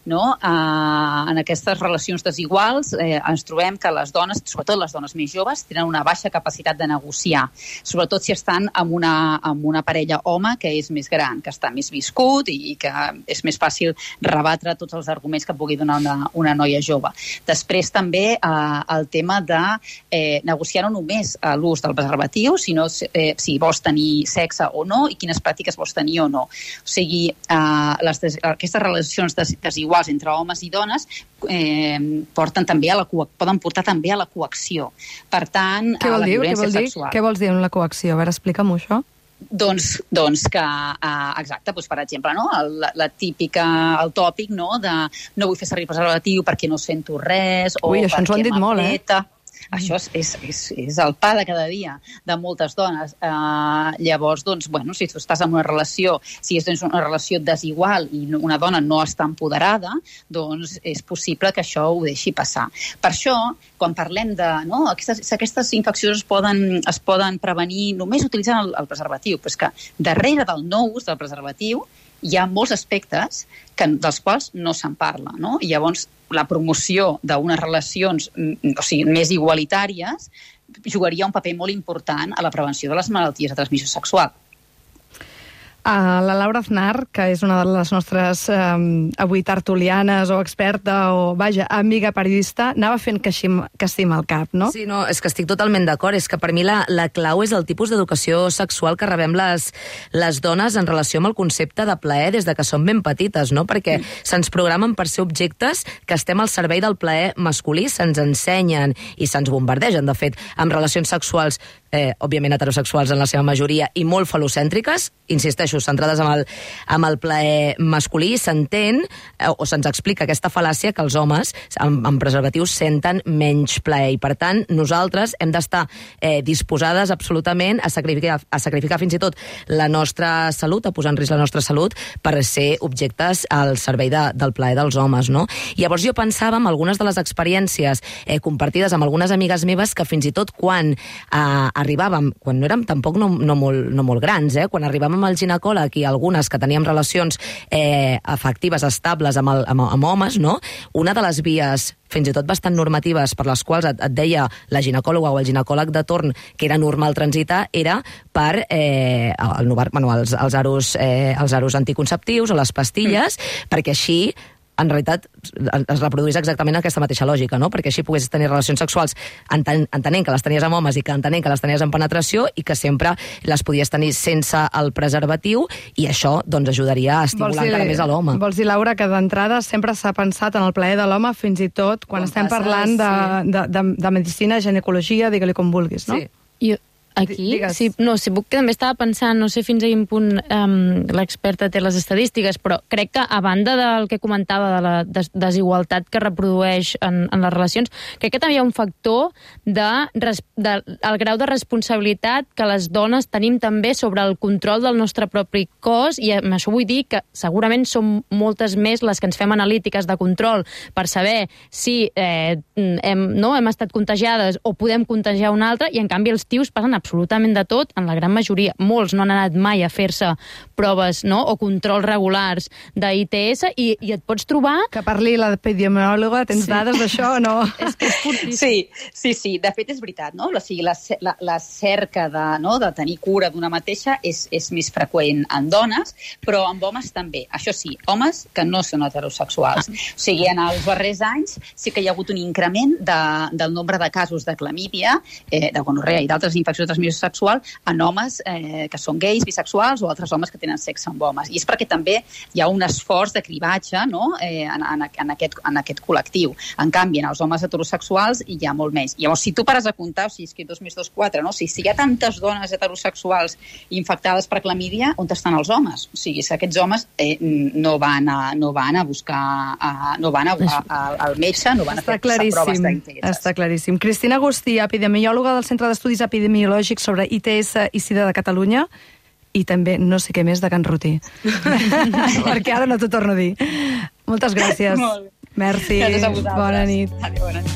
no? En aquestes relacions desiguals ens trobem que les dones, sobretot les dones més joves, tenen una baixa capacitat de negociar, sobretot si estan amb una parella home que és més gran, que està més viscut i que és més fàcil rebatre tots els arguments que pugui donar una noia jove. Després també el tema de negociar no només l'ús del preservatiu, sinó si vols tenir sexe o no i quines pràctiques vols tenir o no. O sigui, aquestes relacions desiguals entre homes i dones poden portar també a la coacció. Per tant, què a la violència sexual. Què vols dir amb la coacció? A veure, explica'm-ho, això. Doncs que, exacte, doncs per exemple, no? La típica, el tòpic, no? De no vull fer servir preservatiu perquè no sento res, o això ens ho han dit molt, Això és el pa de cada dia de moltes dones. Llavors, doncs, bueno, si tu estàs en una relació, si és una relació desigual i una dona no està empoderada, doncs és possible que això ho deixi passar. Per això, quan parlem de... No, aquestes infeccions es poden prevenir només utilitzant el preservatiu, però és que darrere del no ús del preservatiu hi ha molts aspectes dels quals no se'n parla, no? I llavors la promoció d'unes relacions més igualitàries jugaria un paper molt important a la prevenció de les malalties de transmissió sexual. La Laura Aznar, que és una de les nostres avui tertulianes o experta o, vaja, amiga periodista, anava fent que estima el cap, no? Sí, no, és que estic totalment d'acord. És que per mi la clau és el tipus d'educació sexual que rebem les dones en relació amb el concepte de plaer des de que som ben petites, no? Perquè se'ns programen per ser objectes que estem al servei del plaer masculí, se'ns ensenyen i se'ns bombardegen, de fet, amb relacions sexuals, òbviament heterosexuals en la seva majoria, i molt falocèntriques, insisteixo, centrades amb el plaer masculí, s'entén o se'ns explica aquesta fal·làcia que els homes amb preservatius senten menys plaer. I, per tant, nosaltres hem d'estar disposades absolutament a sacrificar fins i tot la nostra salut, a posar en risc la nostra salut, per ser objectes al servei del plaer dels homes, no? Llavors jo pensava en algunes de les experiències compartides amb algunes amigues meves que fins i tot quan arribàvem, quan no érem tampoc no molt grans, quan arribàvem al ginecòleg i algunes que teníem relacions afectives estables amb homes, no? Una de les vies fins i tot bastant normatives per les quals et deia la ginecòloga o el ginecòleg de torn que era normal transitar era per els aros anticonceptius o les pastilles, perquè així en realitat es reproduís exactament aquesta mateixa lògica, no? Perquè així poguessis tenir relacions sexuals entenent que les tenies amb homes i que entenent que les tenies en penetració i que sempre les podies tenir sense el preservatiu, i això doncs ajudaria a estimular encara més a l'home. Vols dir, Laura, que d'entrada sempre s'ha pensat en el plaer de l'home, fins i tot quan estem parlant de medicina, ginecologia, digue-li com vulguis, no? Sí. Aquí, sí, puc, també estava pensant, no sé fins a quin punt l'experta té les estadístiques, però crec que a banda del que comentava de la desigualtat que reprodueix en les relacions, crec que també hi ha un factor del grau de responsabilitat que les dones tenim també sobre el control del nostre propi cos, i amb això vull dir que segurament som moltes més les que ens fem analítiques de control per saber si hem estat contagiades o podem contagiar una altra, i en canvi els tios passen absolutament de tot, en la gran majoria. Molts no han anat mai a fer-se proves, no?, o controls regulars d'ITS, i et pots trobar... Que parli l'epidemiòloga, tens dades d'això o no? És que és fortíssim. Sí, de fet és veritat, no? O sigui, la cerca de tenir cura d'una mateixa és més freqüent en dones, però en homes també. Això sí, homes que no són heterosexuals. O sigui, en els darrers anys sí que hi ha hagut un increment del nombre de casos de clamídia, de gonorrea i d'altres infeccions de transmissió sexual en homes que són gais, bisexuals o altres homes que tenen sexe amb homes. I és perquè també hi ha un esforç de cribatge, no?, en aquest col·lectiu. En canvi, en els homes heterosexuals hi ha molt més. Llavors, si tu pares a comptar, o sigui, és que 2 més 2, 4, no? Si hi ha tantes dones heterosexuals infectades per clamídia, on estan els homes? O sigui, si aquests homes no van a buscar, no van al metge, no van a fer proves d'ITS. Està claríssim. Cristina Agustí, epidemiòloga del Centre d'Estudis Epidemiològics sobre ITS i SIDA de Catalunya, i també no sé què més de Can Rutí. Perquè ara no t'ho torno a dir. Moltes gràcies. Merci. Bona nit. Bona nit.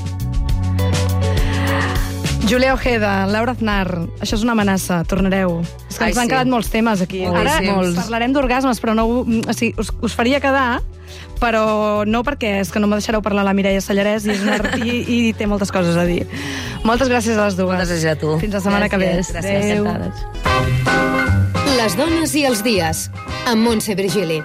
Julia Ojeda, Laura Aznar, això és una amenaça, tornareu. És que ens han quedat molts temes aquí. Ara parlarem d'orgasmes, però no, o sigui, us faria quedar, però no perquè és que no me deixareu parlar la Mireia Sallarès i té moltes coses a dir. Moltes gràcies a les dues. Moltes gràcies a tu. Fins la setmana que ve. Gràcies. Les dones i els dies, amb Montse Virgili.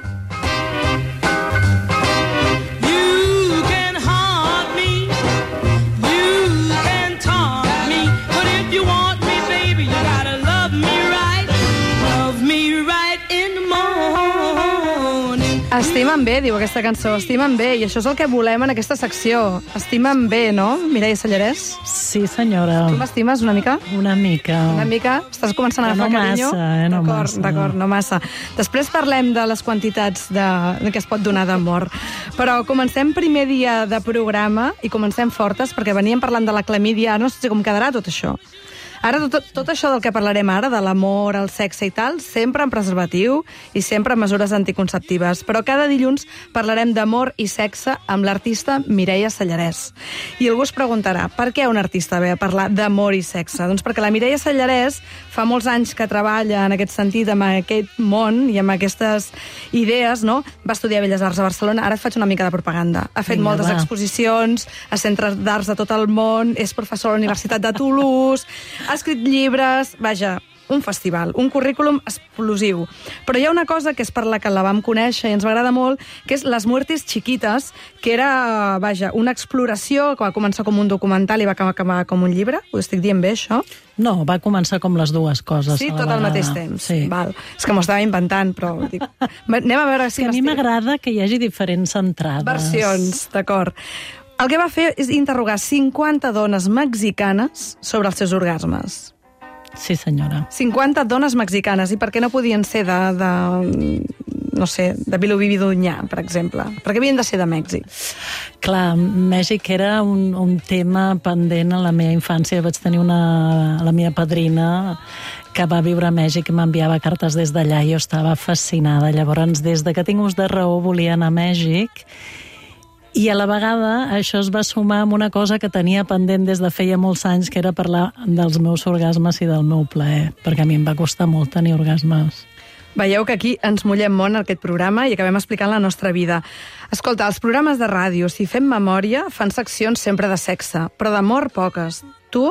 Estimen bé, diu aquesta cançó, estimen bé, i això és el que volem en aquesta secció. Estimen bé, no, Mireia Sallarès? Sí, senyora. Tu m'estimes una mica? Una mica. Una mica? Estàs començant a agafar carinyo? No massa. D'acord, no massa. Després parlem de les quantitats que es pot donar d'amor. Però comencem primer dia de programa i comencem fortes, perquè veníem parlant de la clamídia, ara no sé com quedarà tot això. Ara, tot això del que parlarem ara, de l'amor, el sexe i tal, sempre en preservatiu i sempre amb mesures anticonceptives. Però cada dilluns parlarem d'amor i sexe amb l'artista Mireia Sallarès. I algú es preguntarà, per què un artista ve a parlar d'amor i sexe? Doncs perquè la Mireia Sallarès fa molts anys que treballa en aquest sentit, amb aquest món i amb aquestes idees, no? Va estudiar Belles Arts a Barcelona, ara et faig una mica de propaganda. Ha fet moltes exposicions a centres d'arts de tot el món, és professor a la Universitat de Toulouse, ha escrit llibres, vaja, un festival, un currículum explosiu. Però hi ha una cosa que és per la que la vam conèixer i ens va agradar molt, que és Les Muertes Chiquitas, que era, vaja, una exploració que va començar com un documental i va acabar com un llibre. Ho estic dient bé, això? No, va començar com les dues coses. Sí, tot al mateix temps. Sí. Val. És que m'ho estava inventant, però dic, anem a veure si a mi m'agrada que hi hagi diferents entrades. Versions, d'acord. El que va fer és interrogar 50 dones mexicanes sobre els seus orgasmes. Sí, senyora. 50 dones mexicanes. I per què no podien ser no sé, de Vilobí d'Onyà, per exemple? Per què havien de ser de Mèxic? Clar, Mèxic era un tema pendent a la meva infància. Vaig tenir la meva padrina que va viure a Mèxic i m'enviava cartes des d'allà i jo estava fascinada. Llavors, des de que tinc ús de raó, volia anar a Mèxic. I a la vegada això es va sumar amb una cosa que tenia pendent des de feia molts anys, que era parlar dels meus orgasmes i del meu plaer, perquè a mi em va costar molt tenir orgasmes. Veieu que aquí ens mullem molt en aquest programa i acabem explicant la nostra vida. Escolta, els programes de ràdio, si fem memòria, fan seccions sempre de sexe, però d'amor poques. Tu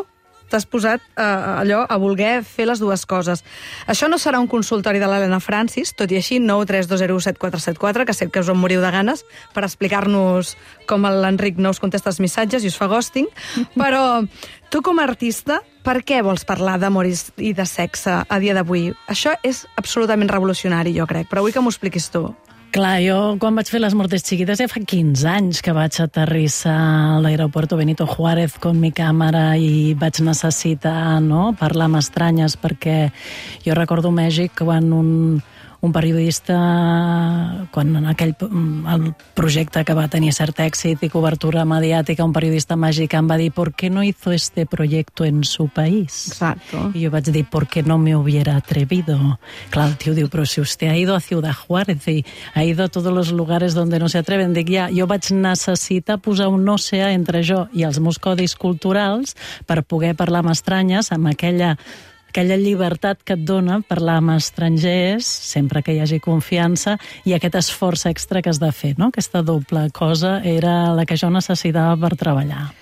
t'has posat allò a voler fer les dues coses. Això no serà un consultori de l'Helena Francis, tot i així 932017474, que sé que us en moriu de ganes, per explicar-nos com l'Enric no us contesta els missatges i us fa ghosting, però tu com a artista, per què vols parlar d'amor i de sexe a dia d'avui? Això és absolutament revolucionari, jo crec, però vull que m'ho expliquis tu. Clar, jo quan vaig fer Les Muertes Chiquitas ja fa 15 anys que vaig aterrissar a l'aeropuerto Benito Juárez con mi càmera i vaig necessitar parlar amb estranyes, perquè jo recordo Mèxic quan un periodista, quan el projecte que va tenir cert èxit i cobertura mediàtica, un periodista mexicà va dir ¿por qué no hizo este proyecto en su país? Exacto. I jo vaig dir ¿por qué no me hubiera atrevido? Clar, el tio diu, però si usted ha ido a Ciudad Juárez y ha ido a todos los lugares donde no se atreven. Dic, ja, jo vaig necessitar posar un oceà entre jo i els meus codis culturals per poder parlar amb estranyes, amb aquella llibertat que et dona parlar amb estrangers, sempre que hi hagi confiança, i aquest esforç extra que has de fer, no? Aquesta doble cosa era la que jo necessitava per treballar.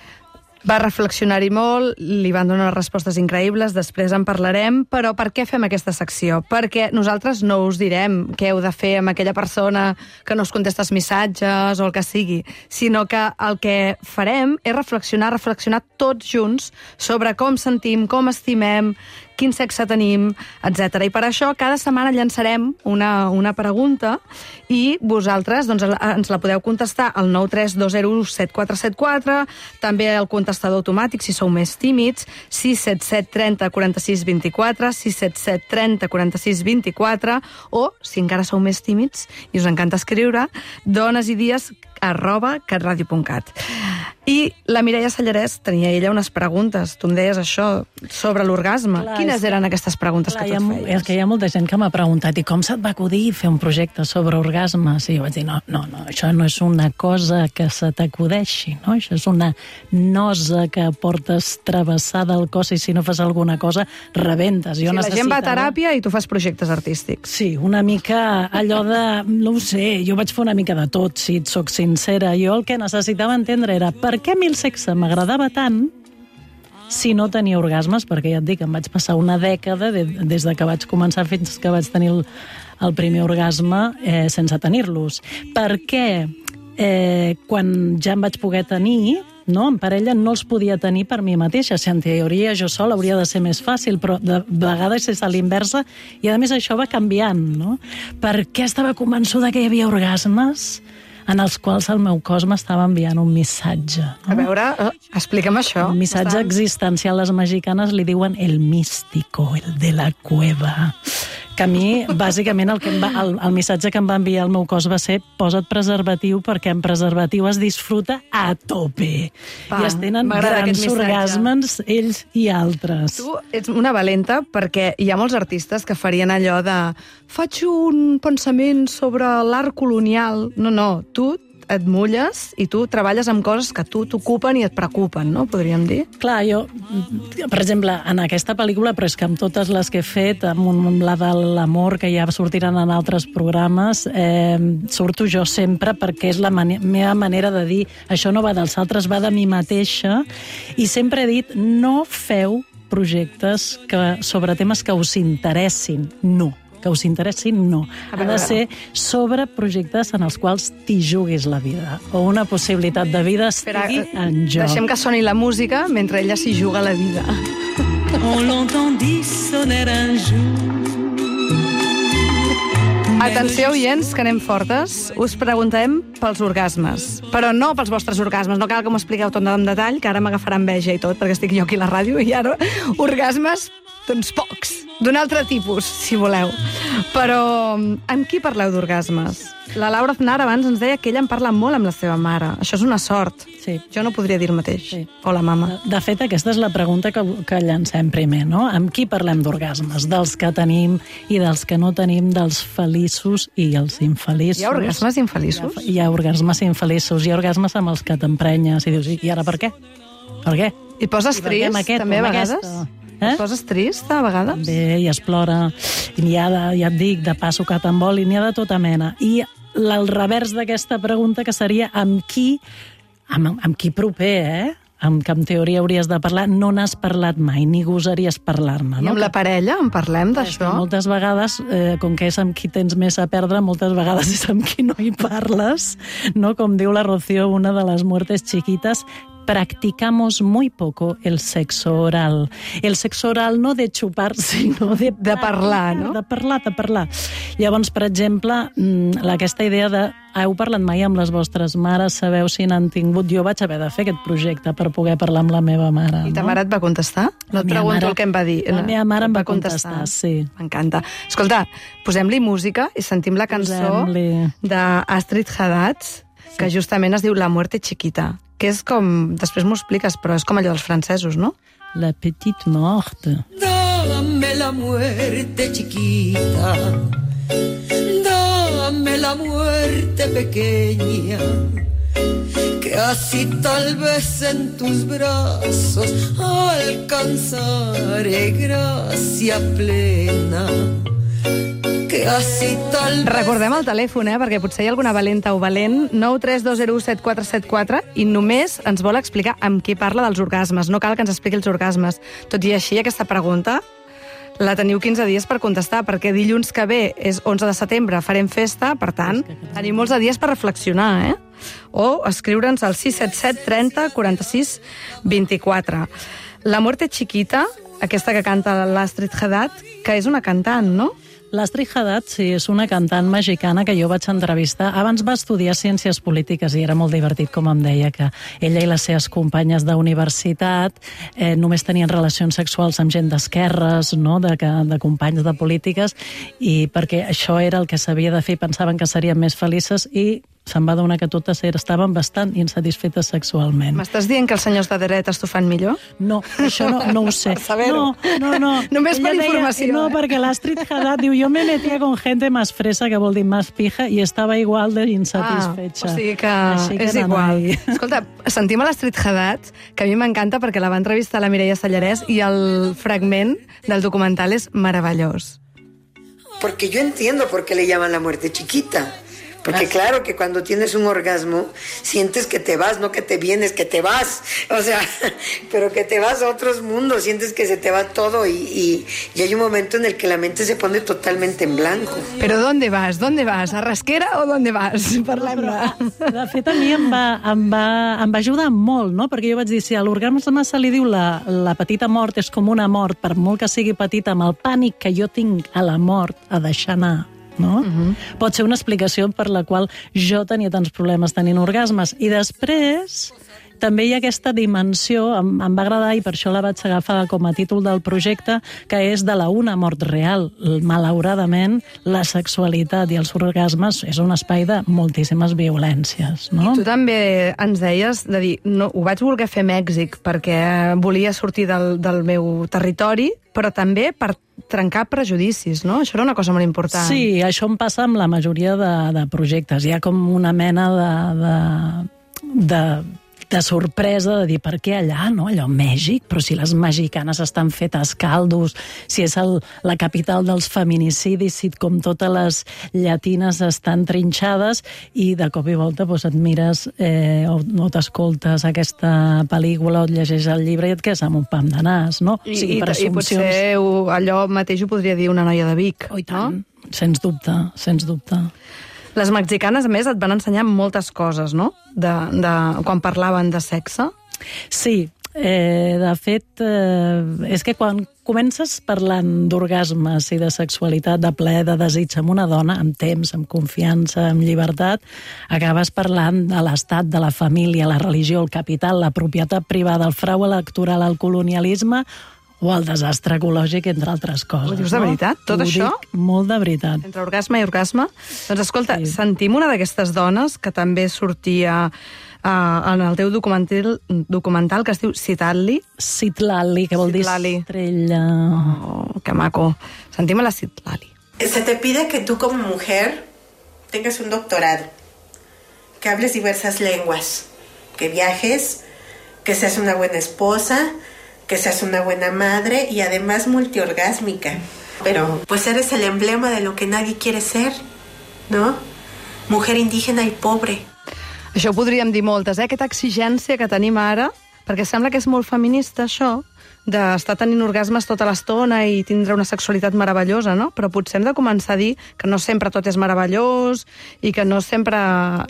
Va reflexionar-hi molt, li van donar respostes increïbles, després en parlarem, però per què fem aquesta secció? Perquè nosaltres no us direm què heu de fer amb aquella persona que no us contesta els missatges o el que sigui, sinó que el que farem és reflexionar tots junts sobre com sentim, com estimem, quin sexe tenim, etc. I per això cada setmana llançarem una pregunta i vosaltres ens la podeu contestar al 932017474, també al contestador automàtic si sou més tímids, 677 30 46 24, 677 30 46 24, o, si encara sou més tímids i us encanta escriure, donesidies@catradio.cat. I la Mireia Sallarès tenia ella unes preguntes, tu em deies això, sobre l'orgasme. Quines eren aquestes preguntes que tu et feies? És que hi ha molta gent que m'ha preguntat i com se't va acudir fer un projecte sobre orgasmes? I jo vaig dir, no, això no és una cosa que se t'acudeixi, no? Això és una nosa que portes travessada al cos i si no fas alguna cosa, rebentes. La gent va a teràpia i tu fas projectes artístics. Sí, una mica allò de, no ho sé, jo vaig fer una mica de tot, si et soc sincera. Jo el que necessitava entendre era per què a mi el sexe m'agradava tant si no tenia orgasmes, perquè ja et dic, em vaig passar una dècada des de que vaig començar fins que vaig tenir el primer orgasme sense tenir-los. Per què quan ja em vaig poder tenir no? En parella no els podia tenir per mi mateixa. Si en teoria jo sola hauria de ser més fàcil, però de vegades és a l'inversa, i a més això va canviant, no? Perquè estava convençuda que hi havia orgasmes en els quals el meu cos m'estava enviant un missatge. No? A veure, explica'm això. Un missatge existencial. Les mexicanes li diuen el místico, el de la cueva. Que a mi, bàsicament, el missatge que em va enviar el meu cos va ser posa't preservatiu, perquè en preservatiu es disfruta a tope. I es tenen grans orgasmes ells i altres. Tu ets una valenta perquè hi ha molts artistes que farien allò de faig un pensament sobre l'art colonial. No, tu et mulles i tu treballes amb coses que tu t'ocupen i et preocupen, no? Podríem dir. Clar, jo, per exemple, en aquesta pel·lícula, però és que amb totes les que he fet, amb la de l'amor, que ja sortiran en altres programes, surto jo sempre perquè és la meva manera de dir això no va dels altres, va de mi mateixa, i sempre he dit no feu projectes sobre temes que us interessin, no. Que us interessin, no. Ha de ser sobre projectes en els quals t'hi juguis la vida, o una possibilitat de vida estigui en joc. Deixem que soni la música mentre ella s'hi juga la vida. On l'entendit sonner un jour. Atenció, oients, que anem fortes. Us preguntem pels orgasmes. Però no pels vostres orgasmes. No cal que m'ho expliqueu tot en detall, que ara m'agafarà enveja i tot, perquè estic jo aquí a la ràdio, i ara orgasmes, doncs pocs. D'un altre tipus, si voleu. Però amb qui parleu d'orgasmes? La Laura Aznar abans ens deia que ella en parla molt amb la seva mare. Això és una sort. Sí. Jo no podria dir el mateix. Sí. O la mama. De fet, aquesta és la pregunta que llancem primer, no? Amb qui parlem d'orgasmes? Dels que tenim i dels que no tenim, dels feliços i els infeliços. Hi ha orgasmes infeliços? Hi ha orgasmes infeliços, hi ha orgasmes amb els que t'emprenyes i dius, i ara per què? Per què? I poses trist, també, a vegades? Et poses trist, a vegades? Bé, i es plora. I n'hi ha, ja et dic, de passo que t'envol, i n'hi ha de tota mena. I el revers d'aquesta pregunta, que seria amb qui proper, amb que en teoria hauries de parlar, no n'has parlat mai, ni gosaries parlar-ne. I amb la parella en parlem d'això? Moltes vegades, com que és amb qui tens més a perdre, moltes vegades és amb qui no hi parles, no? Com diu la Rocío, una de les muertes chiquitas, practicamos muy poco el sexo oral. El sexo oral no de xupar, sinó de parlar, no? De parlar. Llavors, per exemple, aquesta idea de heu parlat mai amb les vostres mares, sabeu si n'han tingut... Jo vaig haver de fer aquest projecte per poder parlar amb la meva mare. I ta mare et va contestar? No et pregunto el que em va dir. La meva mare em va contestar, sí. M'encanta. Escolta, posem-li música i sentim la cançó d'Astrid Haddad, que justament es diu La muerte chiquita, que és com... Després m'ho expliques, però és com allò dels francesos, no? La petite morte. Dame la muerte chiquita, dame la muerte pequeña, que así tal vez en tus brazos alcanzaré gracia plena. Recordem el telèfon, perquè potser hi ha alguna valenta o valent, 932017474, i només ens vol explicar amb qui parla dels orgasmes. No cal que ens expliqui els orgasmes. Tot i així, aquesta pregunta la teniu 15 dies per contestar, perquè dilluns que ve és 11 de setembre, farem festa, per tant, tenim molts de dies per reflexionar, o escriure'ns al 677 30 46 24. La muerte chiquita, aquesta que canta l'Astrid Haddad, que és una cantant, no? L'Astrid Haddad, sí, és una cantant mexicana que jo vaig entrevistar. Abans va estudiar Ciències Polítiques i era molt divertit, com em deia, que ella i les seves companyes d'universitat només tenien relacions sexuals amb gent d'esquerres, no? de companys de polítiques, i perquè això era el que s'havia de fer, pensaven que serien més felices, i se'n va adonar que totes estaven bastant insatisfetes sexualment. M'estàs dient que els senyors de dretes t'ho fan millor? No, això no ho sé. Per saber-ho. No. Només per informació. No, perquè l'Astrid Haddad diu, jo me metía con gente más fresa, que vol dir más pija, i estava igual de insatisfecha. O sigui que és igual. Escolta, sentim a l'Astrid Haddad, que a mi m'encanta perquè la va entrevistar la Mireia Sallarès, i el fragment del documental és meravellós. Porque yo entiendo por qué le llaman la muerte chiquita. Porque claro que cuando tienes un orgasmo, sientes que te vas, no que te vienes, que te vas. O sea, pero que te vas a otros mundos, sientes que se te va todo y hay un momento en el que la mente se pone totalmente en blanco. Però ¿dónde vas? ¿Dónde vas? A Rasquera o ¿dónde vas? Parlem-ne. De fet, a mi em va ajudar molt, no? Perquè jo vaig dir, si a l'orgasme se li diu la petita mort és com una mort, per molt que sigui petita, amb el pànic que jo tinc a la mort, a deixar anar, no? Pot ser una explicació per la qual jo tenia tants problemes tenint orgasmes. I després també hi ha aquesta dimensió, em va agradar i per això la vaig agafar com a títol del projecte, que és de la una mort real. Malauradament, la sexualitat i els orgasmes és un espai de moltíssimes violències, no? I tu també ens deies de dir, no, ho vaig voler fer a Mèxic perquè volia sortir del meu territori, però també per trencar prejudicis, no? Això era una cosa molt important. Sí, això em passa amb la majoria de projectes. Hi ha com una mena de sorpresa de dir, per què allà, no? Allò, Mèxic, però si les mexicanes estan fetes caldos, si és la capital dels feminicidis, si com totes les llatines estan trinxades, i de cop i volta et mires o t'escoltes aquesta pel·lícula o et llegeix el llibre i et quedes amb un pam de nas, no? I potser allò mateix ho podria dir una noia de Vic. Oh, i tant, sens dubte, sens dubte. Les mexicanes, a més, et van ensenyar moltes coses, no? Quan parlaven de sexe. Sí, de fet, és que quan comences parlant d'orgasmes i de sexualitat, de plaer, de desig amb una dona, amb temps, amb confiança, amb llibertat, acabes parlant de l'estat, de la família, la religió, el capital, la propietat privada, el frau electoral, el colonialisme o el desastre ecològic, entre altres coses. Ho dius de veritat, tot això? Ho dic molt de veritat. Entre orgasme i orgasme? Doncs escolta, sentim una d'aquestes dones que també sortia en el teu documental que es diu Citlali. Citlali, que vol dir estrella. Oh, que maco. Sentim a la Citlali. Se te pide que tú como mujer tengas un doctorado, que hables diversas lenguas, que viajes, que seas una buena esposa, que seas una buena madre y además multiorgásmica. Pero pues eres el emblema de lo que nadie quiere ser, ¿no? Mujer indígena i pobre. Això ho podríem dir moltes, aquesta exigència que tenim ara, perquè sembla que és molt feminista, això, d'estar tenint orgasmes tota l'estona i tindre una sexualitat meravellosa, no? Però potser hem de començar a dir que no sempre tot és meravellós i que no sempre...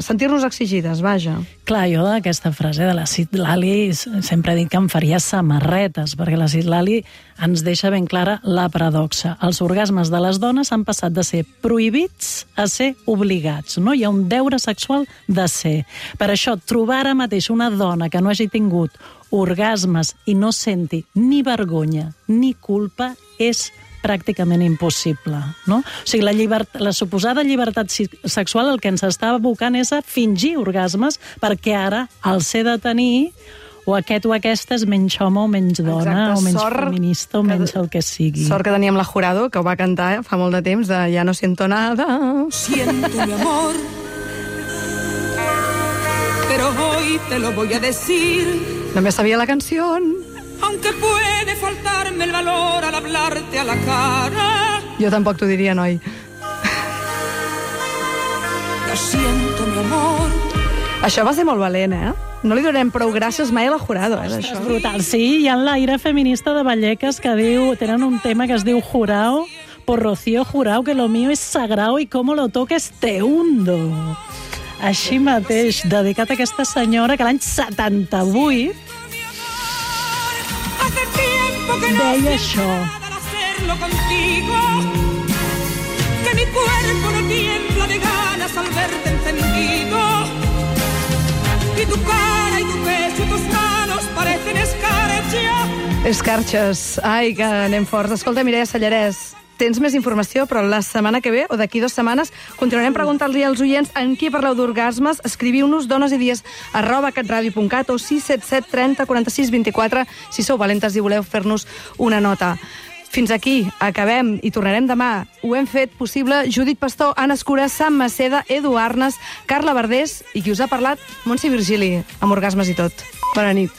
sentir-nos exigides, vaja. Clar, jo d'aquesta frase de la Citlali sempre dic que em faria samarretes, perquè la Citlali ens deixa ben clara la paradoxa. Els orgasmes de les dones han passat de ser prohibits a ser obligats, no? Hi ha un deure sexual de ser. Per això, trobar ara mateix una dona que no hagi tingut orgasmes i no senti ni vergonya ni culpa és pràcticament impossible, no? O sigui, la suposada llibertat sexual el que ens està abocant és a fingir orgasmes perquè ara el ser de tenir o aquest o aquesta és menys home o menys dona, o menys feminista o menys el que sigui. Sort que teníem la Jurado, que ho va cantar fa molt de temps, de Ja no siento nada. Siento mi amor, pero hoy te lo voy a decir. No me sabía la canción. Aunque puede faltarme el valor al hablarte a la cara. Jo tampoc t'ho diria, noi. Lo siento, mi amor. Això va ser molt valent, eh? No li donem prou gràcies mai a la Jurado, d'això. És brutal. Sí, hi ha l'aire feminista de Vallecas que diu, tenen un tema que es diu Jurao, por Rocío Jurao, que lo mío es sagrado y como lo toques te hundo. Així mateix, dedicat a aquesta senyora que l'any 78 deia això. Que mi cuerpo no tiembla de ganas al verte encendido y tu cara y tu pecho y tus manos parecen escarcha. Escarxes. Ai, que anem forts. Escolta, Mireia Sallarès, tens més informació, però la setmana que ve, o d'aquí 2 setmanes, continuarem preguntant-li als oients en qui parleu d'orgasmes. Escriviu-nos donesIdies@catradio.cat o 677 30 46 24 si sou valentes i voleu fer-nos una nota. Fins aquí, acabem i tornarem demà. Ho hem fet possible Judit Pastor, Anna Escura, Sam Maceda, Edu Arnes, Carla Verdés i qui us ha parlat, Montse Virgili, amb orgasmes i tot. Bona nit.